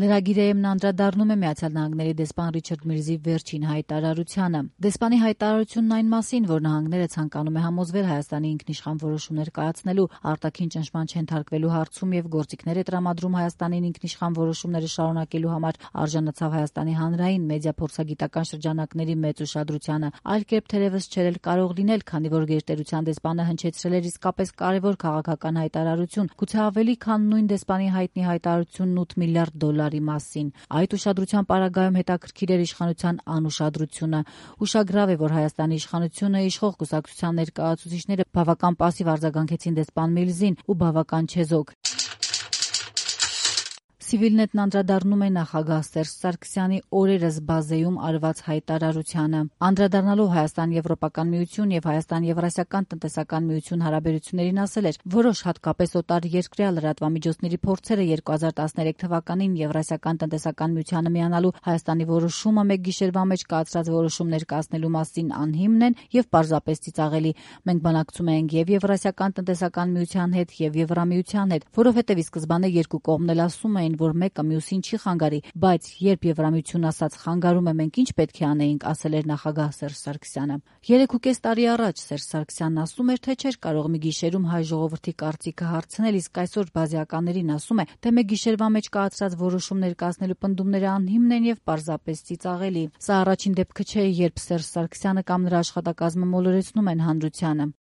Լրագիրը անդրադառնում է Միացյալ Նահանգների դեսպան Ռիչարդ Միրզի վերջին հայտարարությանը։ Դեսպանի հայտարարությունն այն մասին, որ նահանգները ցանկանում է համոզվել Հայաստանի ինքնիշխան որոշումներ կայացնելու, արտաքին ճնշման չենթարկվելու հարցում եւ գործիքներ է տրամադրում Հայաստանին ինքնիշխան որոշումները շարունակելու համար, արժանացավ Հայաստանի հանրային մեդիա փորձագիտական շրջանակների մեծ ուշադրությանը։ Այլ կերպ թերևս չէր էլ կարող լինել, քանի որ գերտերության դեսպանը հնչեցրել էր իսկապես կարևոր քաղաքական հայտարարություն, գուցե ավելի քան նույն դեսպանի հայտնի հայտարարությունն $8 միլիարդ մասին։ Այդ ուշադրության պարագայում հետաքրքիր էր իշխանության անուշադրությունը։ Ուշագրավ է, որ Հայաստանի իշխանությունը իշխող կուսակցության ներկայացուցիչները բավական պասիվ արձագանքեցին դեսպան Միլզին ու բավական չեզոք։ Civilnet-ն անդրադառնում է նախագահ Սերժ Սարգսյանի օրերս բազեում արված հայտարարությանը։ Անդրադառնալով Հայաստան-Եվրոպական միություն եւ Հայաստան-Եվրասիական տնտեսական միություն հարաբերություններին ասել էր, որոշ հատկապես օտար երկրյա լրատվամիջոցների փորձերը 2013 թվականին Եվրասիական տնտեսական միությանը միանալու Հայաստանի որոշումը մեկ գիշերվա մեջ կայացրած որոշումներ կայացնելու մասին անհիմն են եւ պարզապես ծիծաղելի։ Մենք բանակցում ենք եւ Եվրասիական տնտեսական միության հետ եւ Եվրամիության հետ, որովհետեւ ի սկզբանե երկու կողմն էլ ասում էին, որ մեկը մյուսին չի խանգարի, բայց երբ Եվրամիությունն ասաց խանգարում է, մենք ինչ պետք է անեինք, ասել էր նախագահ Սերժ Սարգսյանը։ 3.5 տարի առաջ Սերժ Սարգսյանն ասում էր, թե չէր կարող մի գիշերում հայ ժողովրդի կարծիքը հարցնել, իսկ այսօր բազիականներին ասում է, թե մեկ գիշերվա մեջ կայացրած որոշումներ կայացնելու պնդումները անհիմն են եւ պարզապես ծիծաղելի։ Սա առաջին դեպքը չէ, երբ Սերժ Սարգսյանը կամ նրա աշխատակազմը մոլորեցնում են հանրությանը։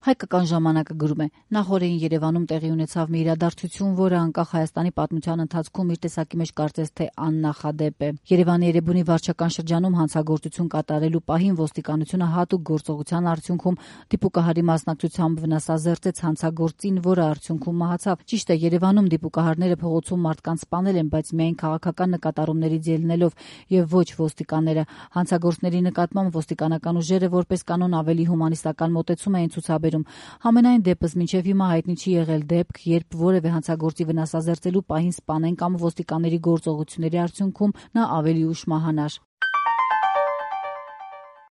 Հայկական ժամանակը գրում է. նախորդին Երևանում տեղի ունեցավ մի իրադարձություն, որը անկախ Հայաստանի պատմության ընթացքում իր տեսակի մեջ կարծես թե աննախադեպ է։ Երևանի Էրեբունի վարչական շրջանում հանցագործություն կատարելու պահին ոստիկանությունը հատուկ գործողության արդյունքում դիպուկահարի մասնակցությամբ վնասազերծեց հանցագործին, որը արդյունքում մահացավ։ Ճիշտ է, Երևանում դիպուկահարները փողոցում մարդկանց սպանել են, բայց միայն քաղաքական նկատառումներից ելնելով եւ ոչ ոստիկանները։ Հանցագործների նկատմամբ ոստիկանական ուժերը որպես կանոն ավելի հումանիստական մոտեցում էին ցուցաբերում։ Համենայն դեպս մինչև հիմա հայտնի չի եղել դեպք, երբ որևէ հանցագործի վնասազերծելու պահին սպանեն կամ ոստիկանների գործողությունների արդյունքում նա ավելի ուշ մահանար։